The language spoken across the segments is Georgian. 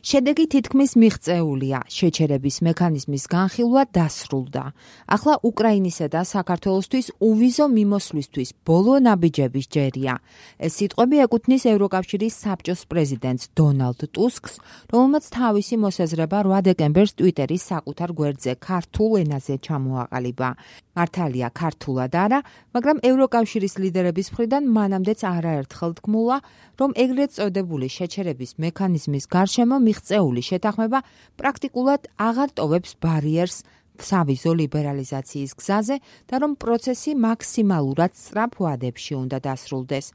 შედეგი თითქმის მიღწეულია. შეჩერების მექანიზმის განხილვა დასრულდა. ახლა უკრაინისა და საქართველოსთვის უვიზო მიმოსვლისთვის ბოლო ნაბიჯების ჯერია. ეს სიტყვები ეკუთვნის ევროკავშირის საბჭოს პრეზიდენტს დონალდ ტუსკს, რომელმაც თავისი მოსაზრება 8 დეკემბერს ტვიტერის საკუთარ გვერდზე ქართულ ენაზე ჩამოაყალიბა. მართალია ქართულად არა, მაგრამ ევროკავშირის ლიდერების მხრიდან მანამდეც არაერთხელ თქმულა, რომ ეგრეთ წოდებული შეჩერების მექანიზმის გარშემო მიღწეული შეთანხმება პრაქტიკულად აღარ ტოვებს ბარიერს სავიზო ლიბერალიზაციის გზაზე და რომ პროცესი მაქსიმალურად სწრაფ ვადებში უნდა დასრულდეს.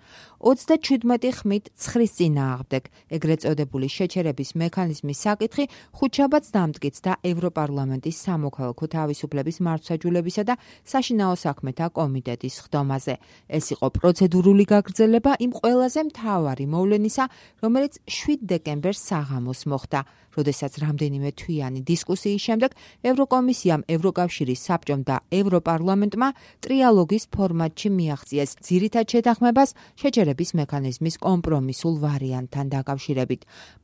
37 ხმით 9-ის წინააღმდეგ ეგრეთ წოდებული შეჩერების მექანიზმის საკითხი ხუთშაბათს დამტკიცა და ევროპარლამენტის სამოქალაქო თავისუფლების მართლმსაჯულებისა და საშინაო საქმეთა კომიტეტის ხდომაზე. ეს იყო პროცედურული გაგრძელება იმ ყველაზე მთავარი მოვლენისა, რომელიც 7 დეკემბერს საღამოს მოხდა, როდესაც რამდენიმე თვიანი დისკუსიის შემდეგ ევროკომისიამ, ევროკავშირის საბჭომ და ევროპარლამენტმა ტრიალოგის ფორმატში მიაღწიეს ძირითად შეთანხმებას შეჩერების მექანიზმის კომპრომისულ ვარიანტთან დაკავშირებით.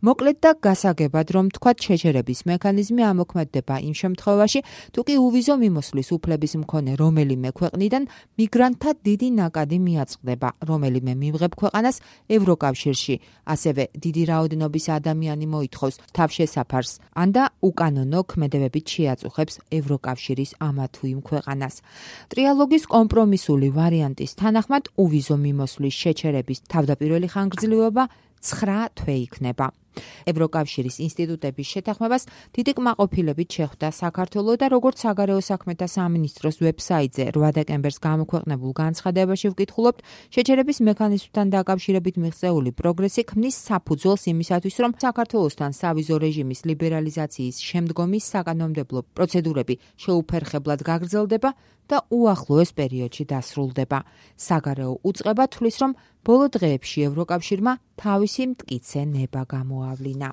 მოკლედ და გასაგებად, რომ თქვათ შეჩერების მექანიზმი ამოქმედდება იმ შემთხვევაში, თუ კი უვიზო მიმოსვლის უფლების მქონე რომელიმე ქვეყნიდან მიგრანტთა დიდი ნაკადი მიაწყდება რომელიმე მიმღებ ქვეყანას ევროკავშირში, ასევე დიდი რაოდენობის ადამიანი მოითხოვს თავშესაფარს, ან და უკანონო ქმედებებით შეაწუხებს ევროკავშირის ამა თუ იმ ქვეყანას. ტრიალოგის კომპრომისული ვარიანტის თანახმად უვიზო მიმოსვლის შეჩერების თავდაპირველი ხანგრძლივობა 9 თვე იქნება. ევროკავშირის ინსტიტუტების შეთანხმებას დიდი კმაყოფილებით შეხვდა საქართველო და როგორც საგარეო საქმეთა სამინისტროს ვებსაიტზე 8 დეკემბერს გამოქვეყნებულ განცხადებაში ვკითხულობთ, შეჩერების მექანიზმთან დაკავშირებით მიღწეული პროგრესი ქმნის საფუძველს იმისათვის, რომ საქართველოსთან სავიზო რეჟიმის ლიბერალიზაციის შემდგომი საკანონმდებლო პროცედურები შეუფერხებლად გაგრძელდება და უახლოეს პერიოდში დასრულდება. საგარეო უწყება თვლის, რომ ბოლო დღეებში ევროკავშირმა თავისი მტკიცე ნება გამოავლინა.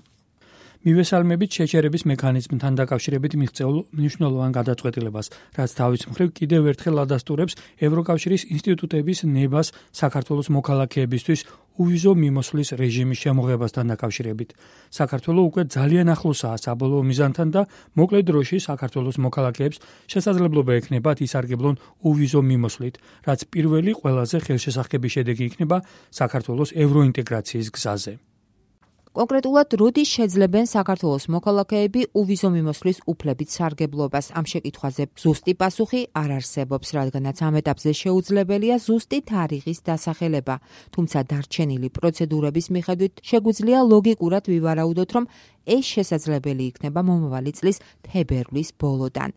მივესალმებით შეჩერების მექანიზმთან დაკავშირებით მიღწეულ მნიშვნელოვან გადაწყვეტილებას, რაც თავის მხრივ კიდევ ერთხელ ადასტურებს ევროკავშირის ინსტიტუტების ნებას საქართველოს მოქალაქეებისთვის უვიზო მიმოსვლის რეჟიმის შემოღებასთან დაკავშირებით. საქართველო უკვე ძალიან ახლოსაა საბოლოო მიზანთან და მოკლე დროში საქართველოს მოქალაქეებს შესაძლებლობა ექნებათ ისარგებლონ უვიზო მიმოსვლით, რაც პირველი ყველაზე ხელშესახები შედეგი იქნება საქართველოს ევროინტეგრაციის გზაზე. კონკრეტულად, როდის შეძლებენ საქართველოს მოქალაქეები უვიზო მიმოსვლის უფლებით სარგებლობას? ამ შეკითხვაზე ზუსტი პასუხი არ არსებობს, რადგანაც ამ ეტაპზე შეუძლებელია ზუსტი თარიღის დასახელება. თუმცა დარჩენილი პროცედურების მიხედვით შეგვიძლია ლოგიკურად ვივარაუდოთ, რომ ეს შესაძლებელი იქნება მომავალი წლის თებერვლის ბოლოდან.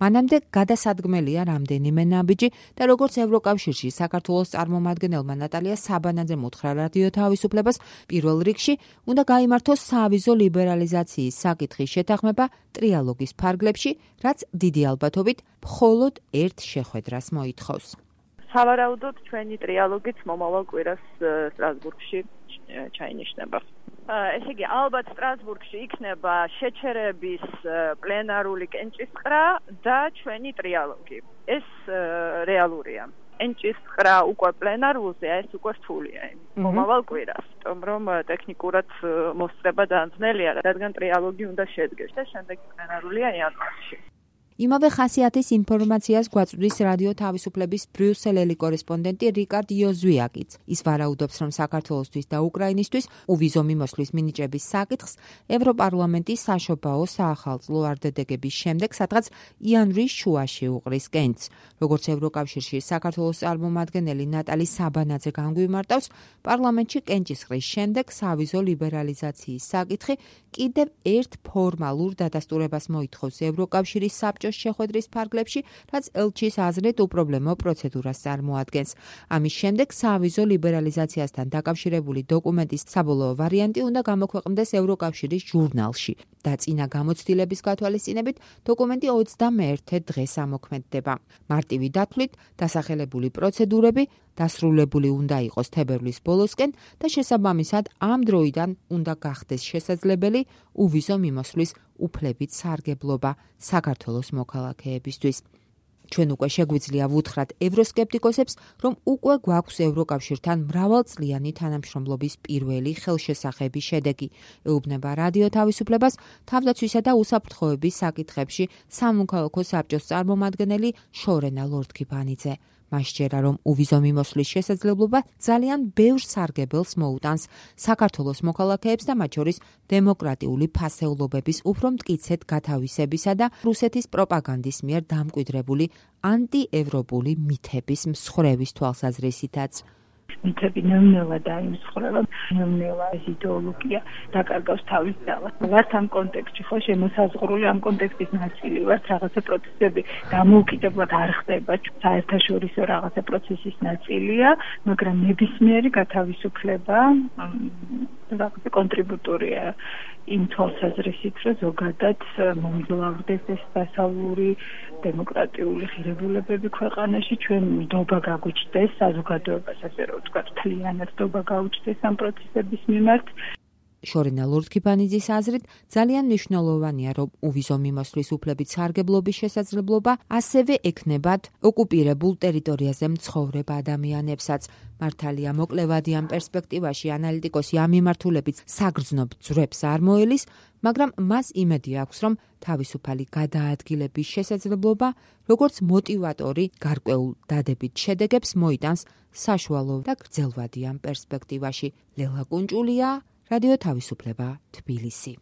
მანამდე გადასადგმელია რამდენიმე ნაბიჯი და როგორც ევროკავშირში საქართველოს წარმომადგენელმა ნატალია საბანაძემ უთხრა რადიო თავისუფლებას, პირველ რიგში უნდა გაიმართოს სავიზო ლიბერალიზაციის საკითხის შეთანხმება ტრიალოგის ფარგლებში, რაც დიდი ალბათობით მხოლოდ ერთ შეხვედრას მოითხოვს. სავარაუდოდ ჩვენი ტრიალოგიც მომავალ კვირას სტრასბურგში ჩაინიშნება. ესე იგი, ალბათ სტრასბურგში იქნება შეჩერების პლენარული კენჭისყრა და ჩვენი ტრიალოგი. ეს რეალურია. კენჭისყრა უკვე პლენარულზე, ეს უკვე რთულია. მომავალ კვირას, რომ ტექნიკურად მოსწრება დაანძნელია, რადგან ტრიალოგი უნდა შედგეს და შემდეგ პლენარულია იანვარში. იმავე ხასიათის ინფორმაციას გვაწვდის რადიო თავისუფლების ბრიუსელელი კორესპონდენტი რიკარდ იოზვიაკიც. ის ვარაუდობს, რომ საქართველოსთვის და უკრაინისთვის უვიზო მიმოსვლის მინიჭების საკითხს ევროპარლამენტი საშობაო საახალწლო არდადეგების შემდეგ სადღაც იანვრის შუაში უყრის კენჭს. როგორც ევროკავშირში საქართველოს წარმომადგენელი ნატალი საბანაძე განგვიმარტავს, პარლამენტში კენჭისყრის შემდეგ სავიზო ლიბერალიზაციის საკითხი კიდევ ერთ ფორმალურ დადასტურებას მოითხოვს ევროკავშირის საბჭოს შეხვედრის ფარგლებში, რაც ელჩის აზრით უპრობლემო პროცედურას წარმოადგენს. ამის შემდეგ სავიზო ლიბერალიზაციასთან დაკავშირებული დოკუმენტის საბოლოო ვარიანტი უნდა გამოქვეყნდეს ევროკავშირის ჟურნალში და წინა გამოცდილების გათვალისწინებით დოკუმენტი 21 დღეს ამოქმედდება. მარტივი დათვლით დასახელებული პროცედურები დასრულებული უნდა იყოს თებერვლის ბოლოსკენ და შესაბამისად ამ დროიდან უნდა გახდეს შესაძლებელი უვიზო მიმოსვლის უფლებით სარგებლობა საქართველოს მოქალაქეებისთვის. ჩვენ უკვე შეგვიძლია ვუთხრათ ევროსკეპტიკოსებს, რომ უკვე გვაქვს ევროკავშირთან მრავალწლიანი თანამშრომლობის პირველი ხელშესახები შედეგი. ეუბნება რადიო თავისუფლებას თავდაცვისა და უსაფრთხოების საკითხებში სამოქალაქო საბჭოს წარმომადგენელი შორენა ლორდ-კიბანიძე. მას სჯერა, რომ უვიზო მიმოსვლის შესაძლებლობა ძალიან ბევრ სარგებელს მოუტანს საქართველოს მოქალაქეებს და მათ შორის დემოკრატიული ფასეულობების უფრო მტკიცედ გათავისებისა და რუსეთის პროპაგანდის მიერ დამკვიდრებული ანტიევროპული მითების მსხვერვის თვალსაზრისითაც. მითები ნელ-ნელა დაიმსხვრება, ნელ-ნელა ეს იდეოლოგია დაკარგავს თავის ძალას. ვართ ამ კონტექსტში, ხო, შემოსაზღვრული ამ კონტექსტის ნაწილი ვართ, რაღაცა პროცესები დამოუკიდებლად არ ხდება, საერთაშორისო რაღაცა პროცესის ნაწილია, მაგრამ ნებისმიერი გათავისუფლება რაღაცა კონტრიბუტორია იმ თვალსაზრისით, რომ ზოგადად მომძლავრდეს ეს დასავლური დემოკრატიული ღირებულებები ქვეყანაში, ჩვენ ნდობა გაგვიჩნდეს საზოგადოებას, ასე რომ ვთქვათ, მთლიანად ნდობა გაუჩნდეს ამ პროცესების მიმართ. შორენა ლორდ-კიბანიძის აზრით, ძალიან მნიშვნელოვანია, რომ უვიზო მიმოსვლის უფლებით სარგებლობის შესაძლებლობა ასევე ექნებათ ოკუპირებულ ტერიტორიაზე მცხოვრებ ადამიანებსაც. მართალია მოკლევადი ამ პერსპექტივაში ანალიტიკოსი ამ მიმართულებით საგრძნობ ძვრებს არ მოელის, მაგრამ მას იმედი აქვს, რომ თავისუფალი გადაადგილების შესაძლებლობა, როგორც მოტივატორი გარკვეულ დადებით შედეგებს მოიტანს საშუალო და გრძელვადი ამ პერსპექტივაში. ლელა კუნჭულია, რადიო თავისუფლება, თბილისი.